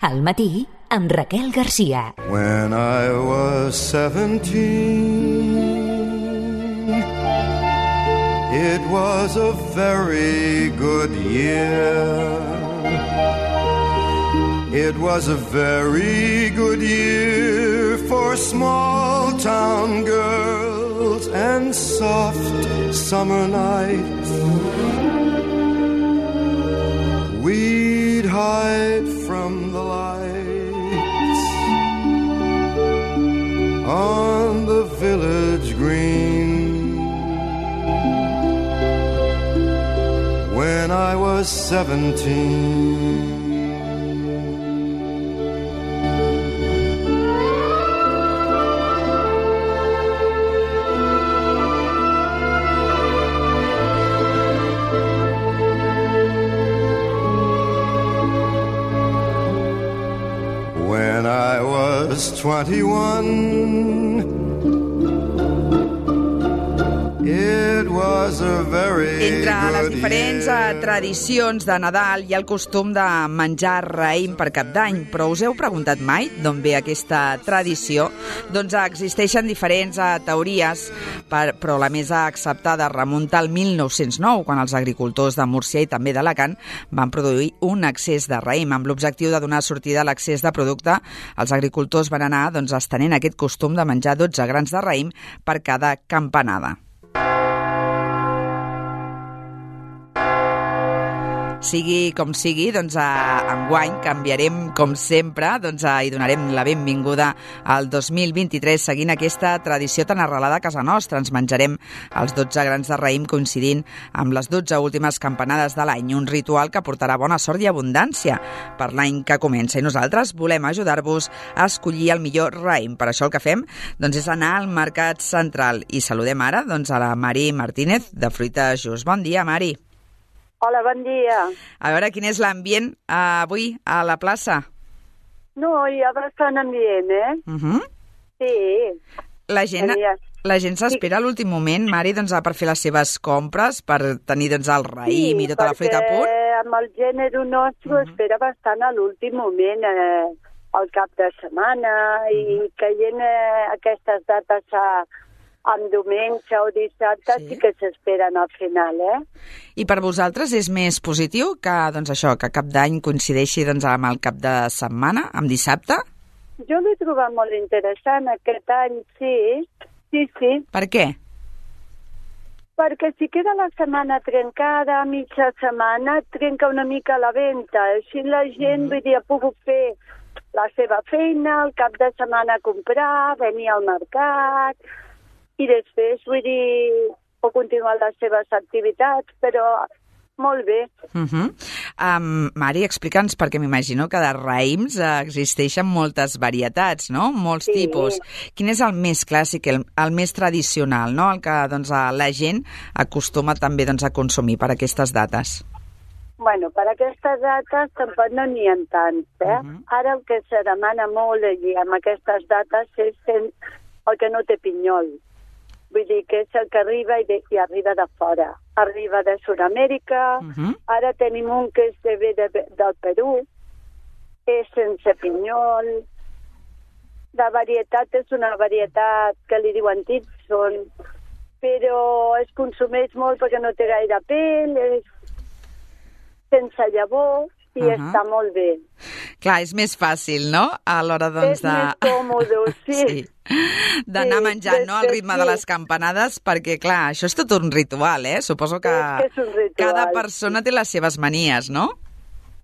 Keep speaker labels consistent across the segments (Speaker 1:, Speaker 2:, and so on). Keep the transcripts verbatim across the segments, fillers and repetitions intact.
Speaker 1: Al matí, amb Raquel Garcia.
Speaker 2: When I was seventeen, it was a very good year. It was a very good year for small town girls and soft summer nights. We'd hide from the lights on the village green. When I was seventeen. When I was twenty-one, it was a very
Speaker 3: Entre les
Speaker 2: good
Speaker 3: diferents
Speaker 2: year.
Speaker 3: tradicions de Nadal hi ha el costum de menjar raïm per Cap d'Any, però us heu preguntat mai d'on ve aquesta tradició? Doncs existeixen diferents eh, teories, per, però la més acceptada remunta al mil nou-cents nou, quan els agricultors de Múrcia i també d'Alacant van produir un excés de raïm. Amb l'objectiu de donar sortida a l'excés de producte, els agricultors van anar doncs, estenent aquest costum de menjar dotze grans de raïm per cada campanada. Sigui com sigui, doncs a enguany canviarem com sempre, doncs a, i donarem la benvinguda al dos mil vint-i-tres seguint aquesta tradició tan arrelada a casa nostra. Ens menjarem els dotze grans de raïm coincidint amb les dotze últimes campanades de l'any, un ritual que portarà bona sort i abundància per l'any que comença. I nosaltres volem ajudar-vos a escollir el millor raïm. Per això el que fem doncs, és anar al Mercat Central i saludem ara doncs, a la Mari Martínez de Fruita Just. Bon dia, Mari.
Speaker 4: Hola, bon dia.
Speaker 3: A veure, quin és l'ambient uh, avui a la plaça?
Speaker 4: No, hi ha bastant ambient, eh?
Speaker 3: Uh -huh.
Speaker 4: Sí.
Speaker 3: La gent, la gent s'espera a l'últim moment, Mari, doncs, per fer les seves compres, per tenir doncs, el raïm
Speaker 4: sí,
Speaker 3: i tota la fruita a punt?
Speaker 4: Sí, amb el gènere nostre uh -huh. espera bastant a l'últim moment, eh, al cap de setmana, uh -huh. i caient eh, aquestes dates a... amb diumenge o dissabte sí, sí que s'esperen al final, eh?
Speaker 3: I per vosaltres és més positiu que, doncs això, que cap d'any coincideixi doncs, amb el cap de setmana, amb dissabte?
Speaker 4: Jo l'he trobat molt interessant aquest any, sí. Sí, sí.
Speaker 3: Per què?
Speaker 4: Perquè si queda la setmana trencada, mitja setmana, trenca una mica la venda. Així la gent, mm. vull dir, ha pogut fer la seva feina, el cap de setmana comprar, venir al mercat... i després, vull dir, pot continuar les seves activitats, però molt bé.
Speaker 3: Uh -huh. um, Mari, explica'ns, perquè m'imagino que de raïms uh, existeixen moltes varietats, no? Molts
Speaker 4: sí.
Speaker 3: tipus. Quin és el més clàssic, el, el més tradicional, no? El que doncs, la gent acostuma també doncs, a consumir per aquestes dates?
Speaker 4: Bueno, per aquestes dates tampoc no n'hi ha tants, eh? Uh -huh. Ara el que se demana molt i amb aquestes dates és el que no té pinyol. Vull dir que és el que arriba i, de, i arriba de fora. Arriba de Sud-amèrica, uh -huh. Ara tenim un que és de, de, del Perú, és sense pinyol. La varietat és una varietat que li diuen Tidson, però es consumeix molt perquè no té gaire pell, és sense llavor, i uh -huh. està molt bé.
Speaker 3: Clar, és més fàcil, no? A l'hora, doncs,
Speaker 4: és
Speaker 3: de...
Speaker 4: És més còmode, sí.
Speaker 3: sí. D'anar
Speaker 4: sí,
Speaker 3: menjant, no?, al ritme sí. de les campanades, perquè, clar, això és tot un ritual, eh? Suposo que,
Speaker 4: que és un ritual,
Speaker 3: cada persona té les seves manies, no?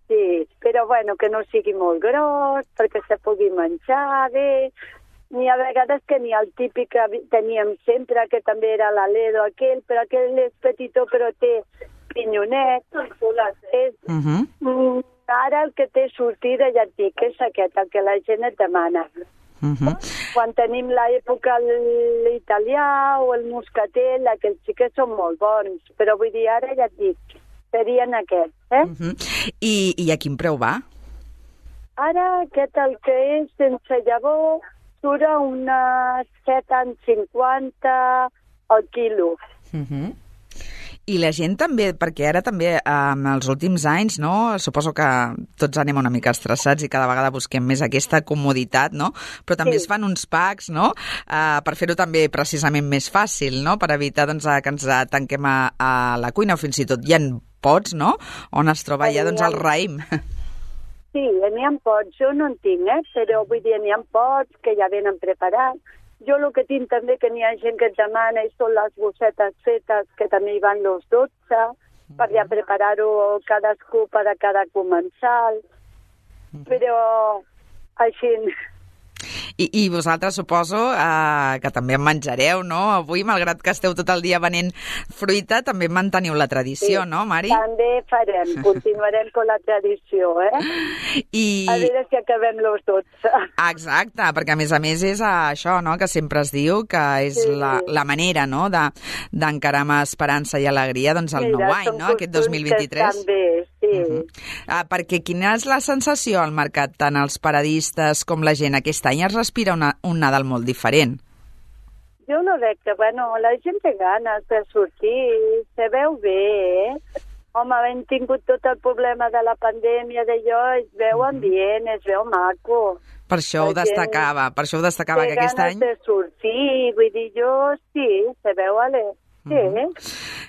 Speaker 4: Sí, però, bueno, que no sigui molt gros, perquè se pugui menjar bé. N'hi ha vegades que n'hi ha el típic que teníem sempre, que també era l'Aledo aquell, però aquell és petitó, però té pinyonet. És,
Speaker 3: uh -huh.
Speaker 4: Ara el que té sortida, ja et dic, és aquest, el que la gent et demana.
Speaker 3: Uh -huh.
Speaker 4: Quan tenim l'època l'italià o el moscatel, aquells sí que són molt bons, però vull dir, ara ja et dic, serien aquests, eh?
Speaker 3: Uh -huh. I, I a quin preu va?
Speaker 4: Ara aquest, el que és sense llavor, surt a unes set cents cinquanta al quilo.
Speaker 3: Uh -huh. I la gent també, perquè ara també en els últims anys, no, suposo que tots anem una mica estressats i cada vegada busquem més aquesta comoditat, no? Però també sí. es fan uns packs, no?, uh, per fer-ho també precisament més fàcil, no?, per evitar doncs, que ens tanquem a, a la cuina, o fins i tot hi ha pots, no?, on es troba ja doncs, el raïm.
Speaker 4: Sí, n'hi ha pots, jo no en tinc, eh? Però vull dir, n'hi ha pots que ja venen preparats. Jo el que tinc també que n'hi ha gent que et demana i són les bossetes fetes, que també hi van los dotze, mm-hmm. per ja preparar-ho cadascú per a cada comensal. Mm-hmm. Però així...
Speaker 3: I, i vosaltres suposo eh, que també en menjareu, no? Avui, malgrat que esteu tot el dia venent fruita, també manteniu la tradició, sí, no, Mari?
Speaker 4: També farem, continuarem amb la tradició, eh? I... A veure si acabem los dotze.
Speaker 3: Exacte, perquè a més a més és això, no?, que sempre es diu que és sí. la, la manera, no?, de, d'encarar amb esperança i alegria doncs el nou any, no?, aquest dos mil vint-i-tres.
Speaker 4: També, sí.
Speaker 3: Uh-huh. Ah, perquè quina és la sensació al mercat, tant els paradistes com la gent? Aquest any es respira una, un Nadal molt diferent.
Speaker 4: Jo no veig que, bueno, la gent té ganes de sortir, se veu bé, eh? Home, hem tingut tot el problema de la pandèmia d'allò, es veu ambient, es veu maco.
Speaker 3: Per això ho destacava, per això ho destacava que aquest any...
Speaker 4: Té ganes de sortir, vull dir, jo sí, se veu, ale. Sí, uh-huh.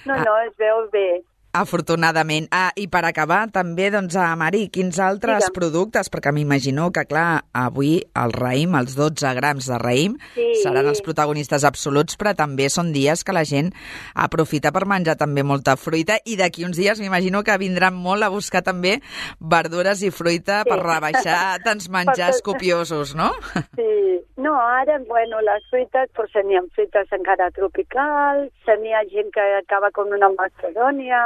Speaker 4: no, no, es veu bé.
Speaker 3: Afortunadament. Ah, i per acabar, també, doncs, a Mari, quins altres Digue'm. productes? Perquè m'imagino que, clar, avui el raïm, els dotze grams de raïm, sí. seran els protagonistes absoluts, però també són dies que la gent aprofita per menjar també molta fruita, i d'aquí uns dies m'imagino que vindran molt a buscar també verdures i fruita sí. per rebaixar tants menjars copiosos, no?
Speaker 4: Sí. No, ara, bueno, les fruites, pues, n'hi ha fruites encara tropicals, n'hi ha gent que acaba com una macedònia,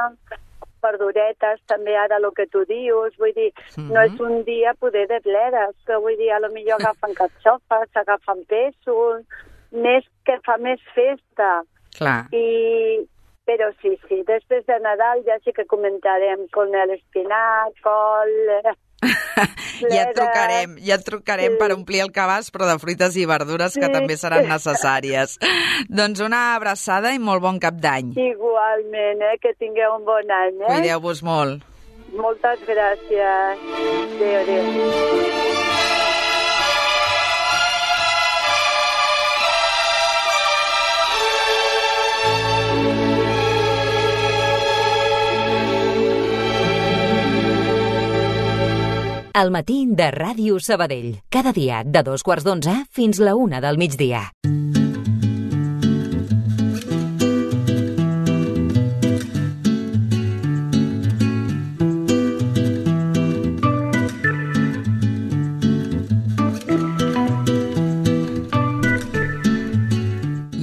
Speaker 4: verduretes, també ara el que tu dius, vull dir, mm-hmm. no és un dia poder de bledes, que vull dir, a lo millor agafen carxofes, agafen pèsols, més que fa més festa.
Speaker 3: Clar.
Speaker 4: I, però sí, sí, després de Nadal ja sí que comentarem con l'espinac, col...
Speaker 3: ja et trucarem, ja et trucarem sí. per omplir el cabàs, però de fruites i verdures que sí. també seran necessàries. Doncs una abraçada i molt bon cap d'any.
Speaker 4: Igualment, eh? Que tingueu un bon any. Eh?
Speaker 3: Cuideu-vos molt.
Speaker 4: Moltes gràcies. Adéu, adéu.
Speaker 1: El matí de Ràdio Sabadell. Cada dia de dos quarts d'onze fins la una del migdia.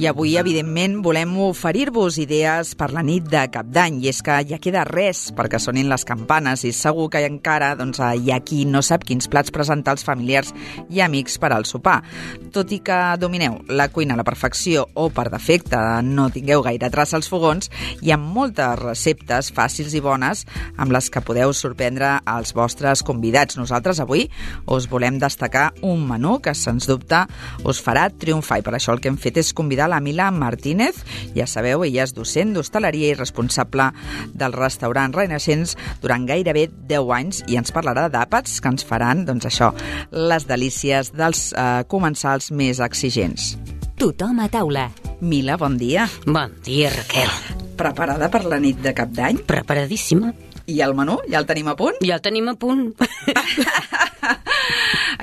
Speaker 3: I avui, evidentment, volem oferir-vos idees per la nit de Cap d'Any, i és que ja queda res perquè sonin les campanes, i segur que encara doncs, hi ha qui no sap quins plats presentar als familiars i amics per al sopar. Tot i que domineu la cuina a la perfecció o, per defecte, no tingueu gaire traça als fogons, hi ha moltes receptes fàcils i bones amb les que podeu sorprendre als vostres convidats. Nosaltres avui us volem destacar un menú que, sens dubte, us farà triomfar, i per això el que hem fet és convidar la Mila Martínez. Ja sabeu, ella és docent d'hostaleria i responsable del restaurant Renaixents durant gairebé deu anys, i ens parlarà d'àpats que ens faran, doncs això, les delícies dels eh, comensals més exigents.
Speaker 1: Tothom a taula.
Speaker 3: Mila, bon dia.
Speaker 5: Bon dia, Raquel.
Speaker 3: Preparada per la nit de Cap d'Any?
Speaker 5: Preparadíssima.
Speaker 3: I el menú? Ja el tenim a punt?
Speaker 5: Ja el tenim a punt.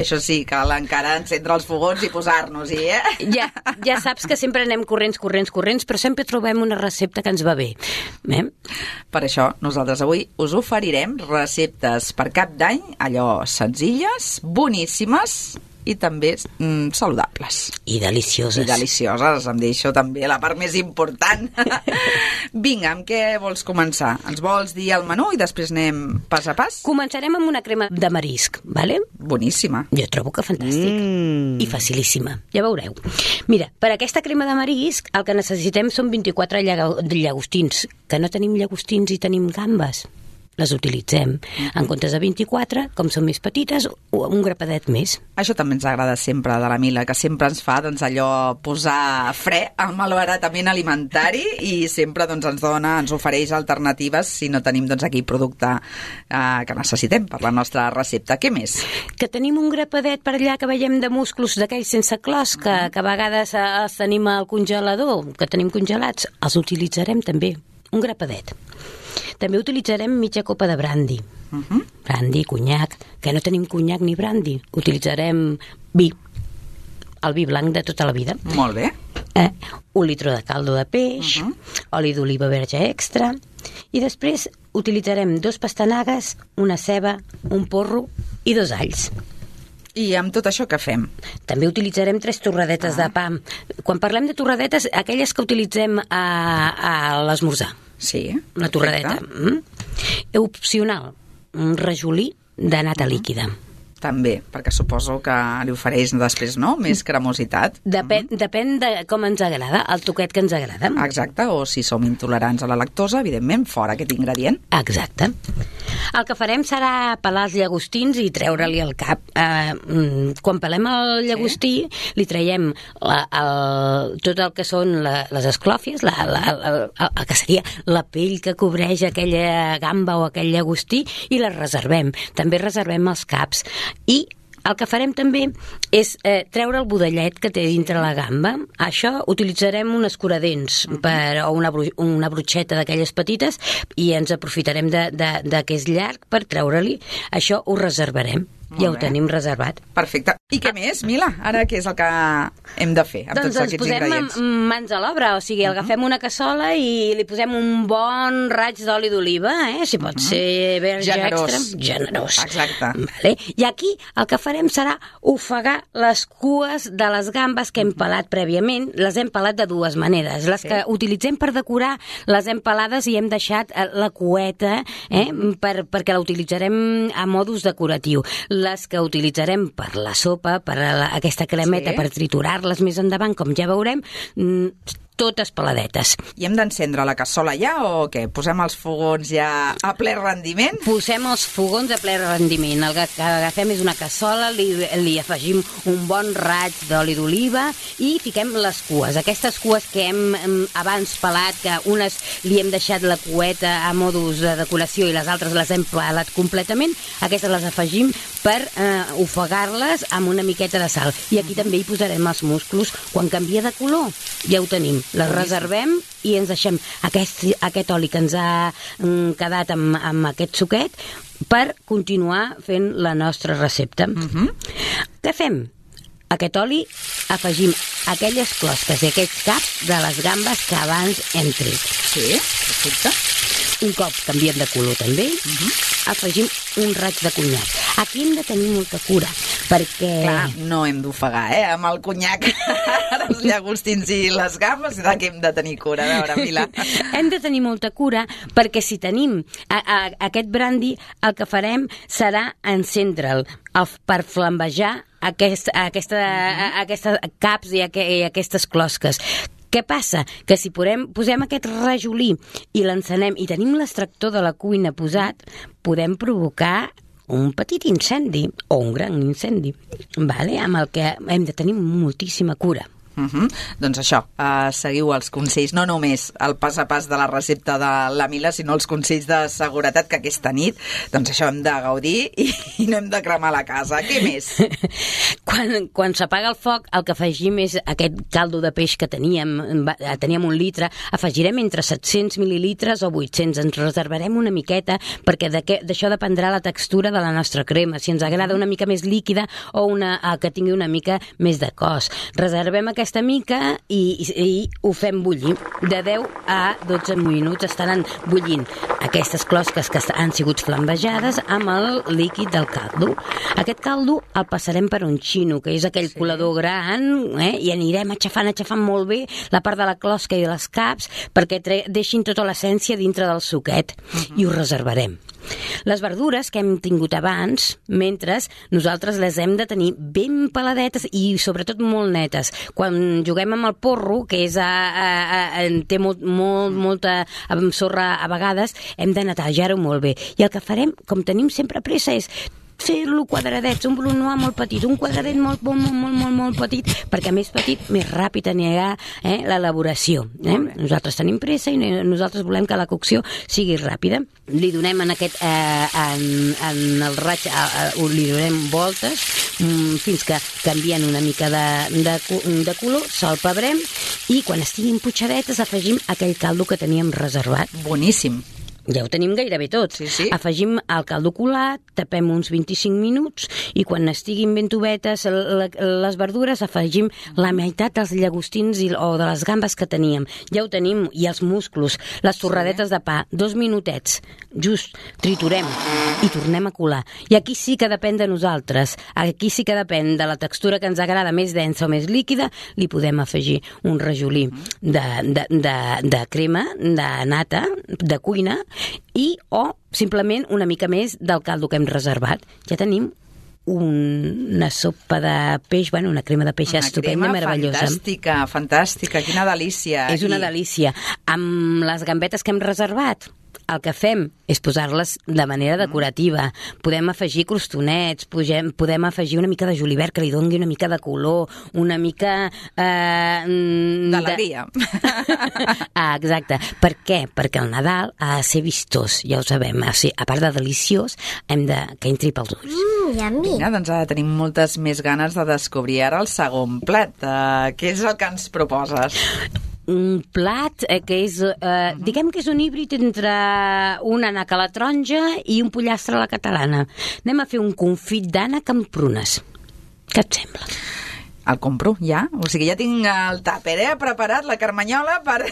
Speaker 3: Això sí, cal encara encendre els fogons i posar-nos-hi, eh?
Speaker 5: Ja, ja saps que sempre anem corrents, corrents, corrents, però sempre trobem una recepta que ens va bé. Eh?
Speaker 3: Per això, nosaltres avui us oferirem receptes per Cap d'Any, allò senzilles, boníssimes i també mm, saludables.
Speaker 5: I delicioses.
Speaker 3: I delicioses, em deixo també la part més important. Vinga, amb què vols començar? Ens vols dir el menú i després anem pas a pas?
Speaker 5: Començarem amb una crema de marisc, vale?
Speaker 3: Boníssima.
Speaker 5: Jo trobo que fantàstic. Mm. I facilíssima, ja veureu. Mira, per aquesta crema de marisc el que necessitem són vint-i-quatre llagostins, que no tenim llagostins i tenim gambes. les utilitzem. En comptes de vint-i-quatre, com són més petites, un grapadet més.
Speaker 3: Això també ens agrada sempre de la Mila, que sempre ens fa doncs, allò posar fre al malbaratament alimentari i sempre doncs, ens dona, ens ofereix alternatives si no tenim doncs, aquí producte eh, que necessitem per la nostra recepta. Què més?
Speaker 5: Que tenim un grapadet per allà que veiem de musclos d'aquells sense clos, que, que a vegades els tenim al congelador, que tenim congelats, els utilitzarem també. Un grapadet. També utilitzarem mitja copa de brandy. Uh-huh. Brandy, conyac, que no tenim conyac ni brandy. Utilitzarem vi, el vi blanc de tota la vida.
Speaker 3: Molt bé.
Speaker 5: Eh, un litre de caldo de peix, uh-huh. oli d'oliva verge extra, i després utilitzarem dos pastanagues, una ceba, un porro i dos alls.
Speaker 3: I amb tot això què fem?
Speaker 5: També utilitzarem tres torradetes ah. de pa. Quan parlem de torradetes, aquelles que utilitzem a, a l'esmorzar.
Speaker 3: Sí,
Speaker 5: una torradeta. Mm? Opcional, un rajolí de nata uh-huh. líquida.
Speaker 3: També, perquè suposo que li ofereix després, no?, més cremositat.
Speaker 5: Depèn, uh-huh. depèn de com ens agrada, el toquet que ens agrada.
Speaker 3: Exacte, o si som intolerants a la lactosa, evidentment, fora aquest ingredient.
Speaker 5: Exacte. El que farem serà pelar els llagostins i treure-li el cap. Eh, quan pelem el llagostí, sí. li traiem la, el, tot el que són la, les esclòfies, la, la, la, la, el que seria la pell que cobreix aquella gamba o aquell llagostí, i la reservem. També reservem els caps. I el que farem també és eh, treure el budellet que té dintre la gamba. Això utilitzarem un escuradents per, o una, bru una brutxeta d'aquelles petites, i ens aprofitarem de, de, de que és llarg per treure-li. Això ho reservarem. Molt ja ho bé. Tenim reservat.
Speaker 3: Perfecte. I què més, Mila? Ara què és el que hem de fer amb
Speaker 5: doncs
Speaker 3: tots aquests ingredients?
Speaker 5: Doncs ens posem mans a l'obra, o sigui, uh-huh. agafem una cassola i li posem un bon raig d'oli d'oliva, eh? Si pot uh-huh. ser verge
Speaker 3: generós.
Speaker 5: extra. Generós.
Speaker 3: Exacte.
Speaker 5: Vale. I aquí el que farem serà ofegar les cues de les gambes que hem pelat prèviament. Les hem pelat de dues maneres. Les sí. que utilitzem per decorar les hem pelades i hem deixat la cueta eh? per, perquè la utilitzarem a modus decoratiu. Les que utilitzarem per la sopa, per la, aquesta cremeta, sí. per triturar-les més endavant, com ja veurem, totes peladetes.
Speaker 3: I hem d'encendre la cassola ja o què? Posem els fogons ja a ple rendiment?
Speaker 5: Posem els fogons a ple rendiment. El que agafem és una cassola, li, li afegim un bon raig d'oli d'oliva i fiquem les cues. Aquestes cues que hem, hem abans pelat, que unes li hem deixat la cueta a modus de decoració i les altres les hem pelat completament, aquestes les afegim per eh, ofegar-les amb una miqueta de sal. I aquí també hi posarem els musclos. Quan canvia de color, ja ho tenim. Les reservem i ens deixem aquest, aquest oli que ens ha mm, quedat amb, amb aquest suquet per continuar fent la nostra recepta. Uh-huh. Què fem? Aquest oli afegim aquelles closques i aquests caps de les gambes que abans hem tret.
Speaker 3: Sí, perfecte.
Speaker 5: Un cop canviem de color també, uh-huh. afegim un raig de conyac. Aquí hem de tenir molta cura, perquè...
Speaker 3: Clar, no hem d'ofegar, eh, amb el conyac els llagostins i les gambes, que hem de tenir cura, a veure, Mila.
Speaker 5: Hem de tenir molta cura, perquè si tenim a, a, aquest brandy, el que farem serà encendre'l per flambejar aquest, aquesta, uh-huh. aquestes caps i, aqu i aquestes closques. Què passa? Que si posem, posem aquest rajolí i l'encenem i tenim l'extractor de la cuina posat, podem provocar un petit incendi o un gran incendi, vale? Amb el que hem de tenir moltíssima cura.
Speaker 3: Uh-huh. Doncs això, uh, seguiu els consells, no només el pas a pas de la recepta de la Mila, sinó els consells de seguretat, que aquesta nit, doncs això, hem de gaudir i, i no hem de cremar la casa. Què més?
Speaker 5: Quan, quan s'apaga el foc, el que afegim és aquest caldo de peix que teníem, teníem un litre, afegirem entre set-cents mil·lilitres o vuit-cents, ens reservarem una miqueta, perquè d'això dependrà la textura de la nostra crema, si ens agrada una mica més líquida o una, que tingui una mica més de cos. Reservem aquesta aquesta mica i, i, i ho fem bullir. De deu a dotze minuts estaran bullint aquestes closques que han sigut flambejades amb el líquid del caldo. Aquest caldo el passarem per un xino, que és aquell sí. colador gran, eh? I anirem aixafant, aixafant molt bé la part de la closca i de les caps perquè deixin tota l'essència dintre del suquet uh-huh. i ho reservarem. Les verdures que hem tingut abans, mentre nosaltres les hem de tenir ben peladetes i sobretot molt netes. Quan quan juguem amb el porro, que és a, a, a, té molt, molt, molta sorra a vegades, hem de netejar-ho molt bé. I el que farem, com tenim sempre pressa, és fer-lo quadradets, un brunois molt petit, un quadradet molt, molt, molt, molt, molt, molt petit, perquè més petit, més ràpid anirà eh, l'elaboració. Eh? Nosaltres tenim pressa i nosaltres volem que la cocció sigui ràpida. Li donem en aquest, eh, en, en el raig, eh, li donem voltes mm, fins que canvien una mica de, de, de color, salpebrem i quan estiguin putxadetes afegim aquell caldo que teníem reservat.
Speaker 3: Boníssim.
Speaker 5: Ja ho tenim gairebé tot.
Speaker 3: Sí, sí.
Speaker 5: Afegim el caldo colat, tapem uns vint-i-cinc minuts i quan estiguin ben tobetes les verdures afegim la meitat dels llagostins i, o de les gambes que teníem. Ja ho tenim, i els musclos, les torradetes sí. de pa, dos minutets, just triturem i tornem a colar. I aquí sí que depèn de nosaltres. Aquí sí que depèn de la textura que ens agrada, més densa o més líquida, li podem afegir un rajolí de, de, de, de crema, de nata, de cuina, i o simplement una mica més del caldo que hem reservat. Ja tenim una sopa de peix, bueno, una crema de peix una estupenda, meravellosa.
Speaker 3: Fantàstica, fantàstica, quina delícia.
Speaker 5: És una I... delícia. Amb les gambetes que hem reservat, el que fem és posar-les de manera decorativa. Podem afegir crostonets, podem, podem afegir una mica de julivert que li doni una mica de color, una mica... Eh,
Speaker 3: d'alegria.
Speaker 5: De... ah, exacte. Per què? Perquè el Nadal ha de ser vistós, ja ho sabem. O sigui, a part de deliciós, hem de que entri pels ulls.
Speaker 6: Mm, yummy.
Speaker 3: Vinga, doncs ara tenim moltes més ganes de descobrir ara el segon plat. Uh, què és el que ens proposes?
Speaker 5: Un plat eh, que és, eh, uh-huh. diguem que és un híbrid entre un ànec a la taronja i un pollastre a la catalana. Anem a fer un confit d'ànec amb prunes. Què et sembla?
Speaker 3: El compro, ja. O sigui, ja tinc el tàper, eh, preparat, la carmanyola, per,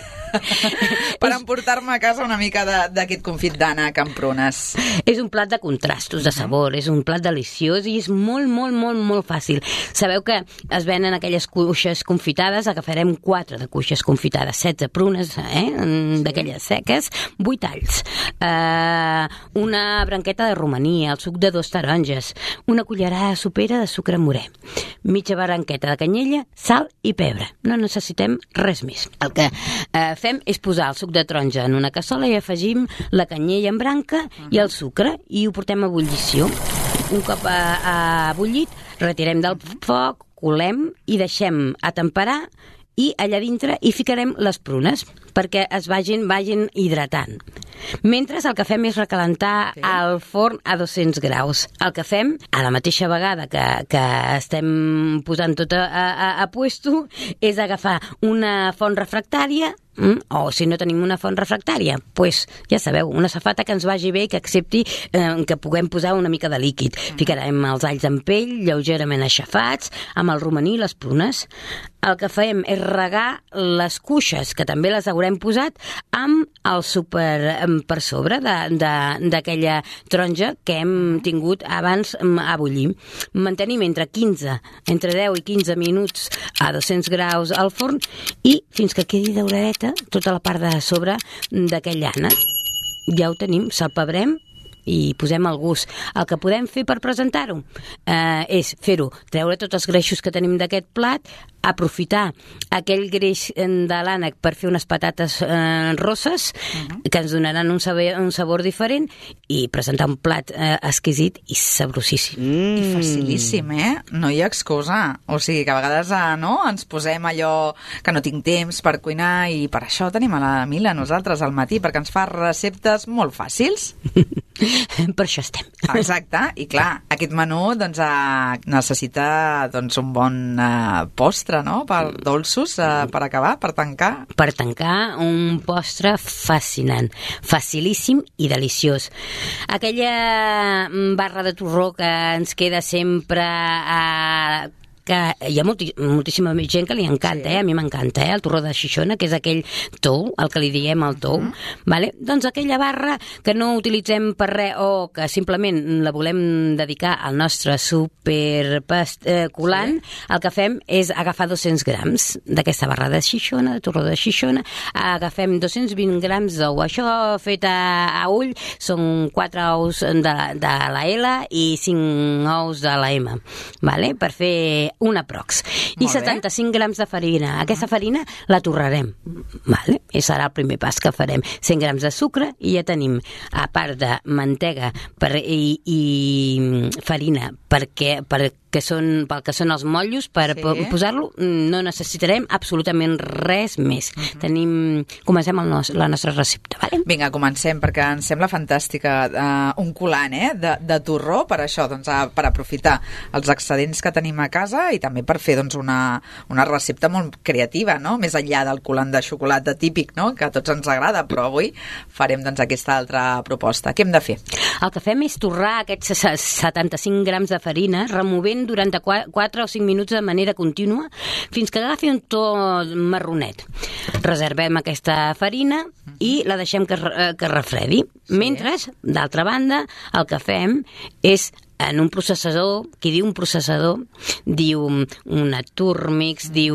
Speaker 3: per emportar-me a casa una mica d'aquest confit d'ànec amb prunes.
Speaker 5: És un plat de contrastos, de sabor, és un plat deliciós i és molt, molt, molt, molt fàcil. Sabeu que es venen aquelles cuixes confitades, agafarem quatre de cuixes confitades, setze prunes, eh, d'aquelles seques, vuit alls, eh, una branqueta de romaní, el suc de dos taronges, una cullerada sopera de sucre morè, mitja branqueta de canyella, sal i pebre. No necessitem res més. El que eh, fem és posar el suc de taronja en una cassola i afegim la canyella en branca uh-huh. i el sucre i ho portem a ebullició. Un cop a, a bullit, retirem del foc, colem i deixem a temperar i allà dintre hi ficarem les prunes perquè es vagin, vagin hidratant. Mentre el que fem és recalentar sí. el forn a dos-cents graus. El que fem, a la mateixa vegada que, que estem posant tot a, a, a puesto, és agafar una font refractària, mm, o si no tenim una font refractària, pues, ja sabeu, una safata que ens vagi bé i que accepti eh, que puguem posar una mica de líquid. Ficarem els alls en pell, lleugerament aixafats, amb el romaní i les prunes. El que fem és regar les cuixes, que també les haurem posat, amb el suc per, per sobre d'aquella taronja que hem tingut abans a bullir. Mantenim entre quinze, entre deu i quinze minuts a dos-cents graus al forn i fins que quedi dauradeta tota la part de sobre d'aquell ànec. Ja ho tenim, salpebrem i posem el gust. El que podem fer per presentar-ho eh, és fer-ho, treure tots els greixos que tenim d'aquest plat, aprofitar aquell greix de l'ànec per fer unes patates eh, rosses uh-huh. que ens donaran un sabor, un sabor diferent i presentar un plat eh, exquisit i sabrosíssim.
Speaker 3: Mm. I facilíssim, eh? No hi ha excusa. O sigui que a vegades eh, no, ens posem allò que no tinc temps per cuinar i per això tenim a la Mila nosaltres al matí, perquè ens fa receptes molt fàcils.
Speaker 5: Per això estem.
Speaker 3: Exacte, i clar, aquest menú doncs, eh, necessita doncs, un bon eh, postre, no? Per dolços, eh, per acabar, per tancar.
Speaker 5: Per tancar, un postre fascinant, facilíssim i deliciós. Aquella barra de torró que ens queda sempre a... Eh, que hi ha molti, moltíssima gent que li encanta, sí. eh? A mi m'encanta, eh? El torró de Xixona, que és aquell tou, el que li diem el tou, uh-huh. vale? Doncs aquella barra que no utilitzem per res o que simplement la volem dedicar al nostre super eh, colant, sí. el que fem és agafar dos-cents grams d'aquesta barra de Xixona, de torró de Xixona, agafem dos-cents vint grams d'ou. Això fet a, a ull són quatre ous de, de la L i cinc ous de la M, vale? Per fer una prox. I
Speaker 3: Molt bé.
Speaker 5: setanta-cinc grams de farina. Aquesta farina la torrarem, vale? I serà el primer pas que farem. cent grams de sucre i ja tenim, a part de mantega per, i, i farina perquè, perquè són, pel que són els motllos, per
Speaker 3: Sí.
Speaker 5: posar-lo no necessitarem absolutament res més. Uh-huh. Tenim, comencem el nos, la nostra recepta, vale?
Speaker 3: Vinga, comencem, perquè ens sembla fantàstica uh, un colant eh, de, de torró per això, doncs, a, per aprofitar els excedents que tenim a casa i també per fer doncs, una, una recepta molt creativa, no? Més enllà del colant de xocolata típic, no? Que a tots ens agrada, però avui farem doncs, aquesta altra proposta. Què hem de fer?
Speaker 5: El que fem és torrar aquests setanta-cinc grams de farina, removent durant quatre o cinc minuts de manera contínua fins que agafi un to marronet. Reservem aquesta farina i la deixem que, que refredi. Sí. Mentre, d'altra banda, el que fem és en un processador, qui diu un processador, diu una Turmix, diu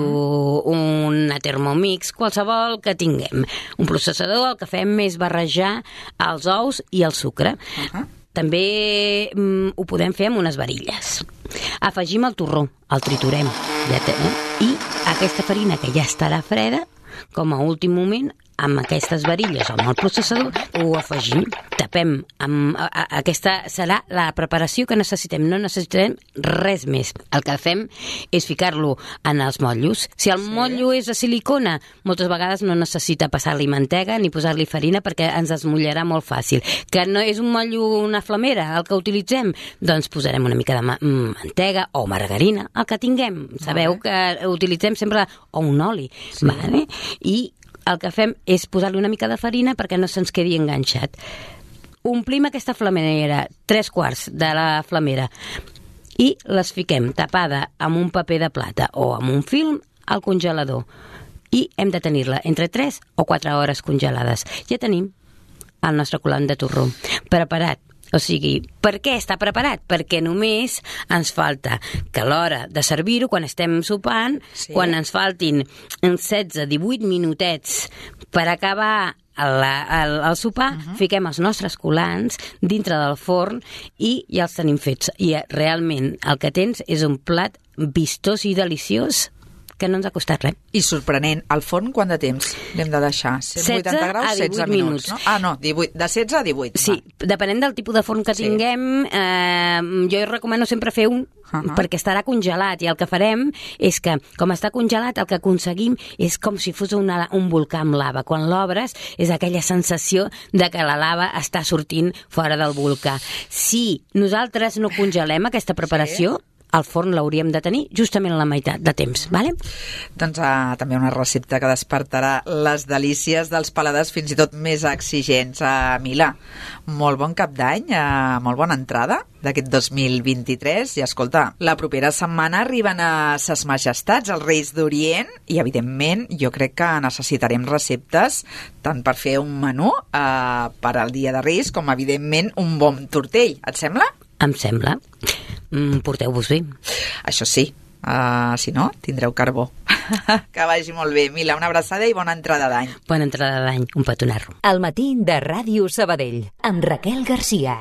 Speaker 5: una Thermomix, qualsevol que tinguem. Un processador el que fem és barrejar els ous i el sucre. Uh-huh. També mm, ho podem fer amb unes varilles. Afegim el torró, el triturem, ja té, eh? I aquesta farina que ja estarà freda, com a últim moment, amb aquestes varilles o amb el processador, ho afegim, tapem. Amb, a, a, aquesta serà la preparació que necessitem, no necessitarem res més. El que fem és ficar-lo en els motllos. Si el sí. motllo és de silicona, moltes vegades no necessita passar-li mantega ni posar-li farina perquè ens esmollarà molt fàcil. Que no és un motllo, una flamera, el que utilitzem, doncs posarem una mica de ma mantega o margarina, el que tinguem. Sabeu que utilitzem sempre o un oli, sí. vale? I el que fem és posar-li una mica de farina perquè no se'ns quedi enganxat. Omplim aquesta flamera, tres quarts de la flamera, i les fiquem tapada amb un paper de plata o amb un film al congelador. I hem de tenir-la entre tres o quatre hores congelades. Ja tenim el nostre colant de torró preparat. O sigui, per què està preparat? Perquè només ens falta que a l'hora de servir-ho, quan estem sopant, sí. quan ens faltin setze a divuit minutets per acabar el, el, el sopar, uh-huh. fiquem els nostres colants dintre del forn i ja els tenim fets. I realment el que tens és un plat vistós i deliciós que no ens ha costat res.
Speaker 3: I sorprenent, al forn quant de temps l'hem de deixar? cent vuitanta graus, setze minuts. No? Ah, no, divuit, de setze a divuit.
Speaker 5: Sí, va. Depenent del tipus de forn que sí. tinguem, eh, jo recomano sempre fer un, uh-huh. perquè estarà congelat, i el que farem és que, com està congelat, el que aconseguim és com si fos una, un volcà amb lava. Quan l'obres és aquella sensació de que la lava està sortint fora del volcà. Si nosaltres no congelem aquesta preparació, sí. el forn l'hauríem de tenir justament la meitat de temps, vale?
Speaker 3: Doncs uh, també una recepta que despertarà les delícies dels paladars fins i tot més exigents. Uh, Mila, molt bon cap d'any, uh, molt bona entrada d'aquest dos mil vint-i-tres, i escolta, la propera setmana arriben a Ses Majestats, els Reis d'Orient, i evidentment jo crec que necessitarem receptes tant per fer un menú uh, per al dia de Reis com evidentment un bon tortell, et sembla?
Speaker 5: Em sembla. Mm, porteu-vos bé.
Speaker 3: Això sí, uh, si no, tindreu carbó. Que vagi molt bé. Mila, una abraçada i bona entrada d'any.
Speaker 5: Bona entrada d'any, un petonarro.
Speaker 1: Al matí de Ràdio Sabadell, amb Raquel Garcia.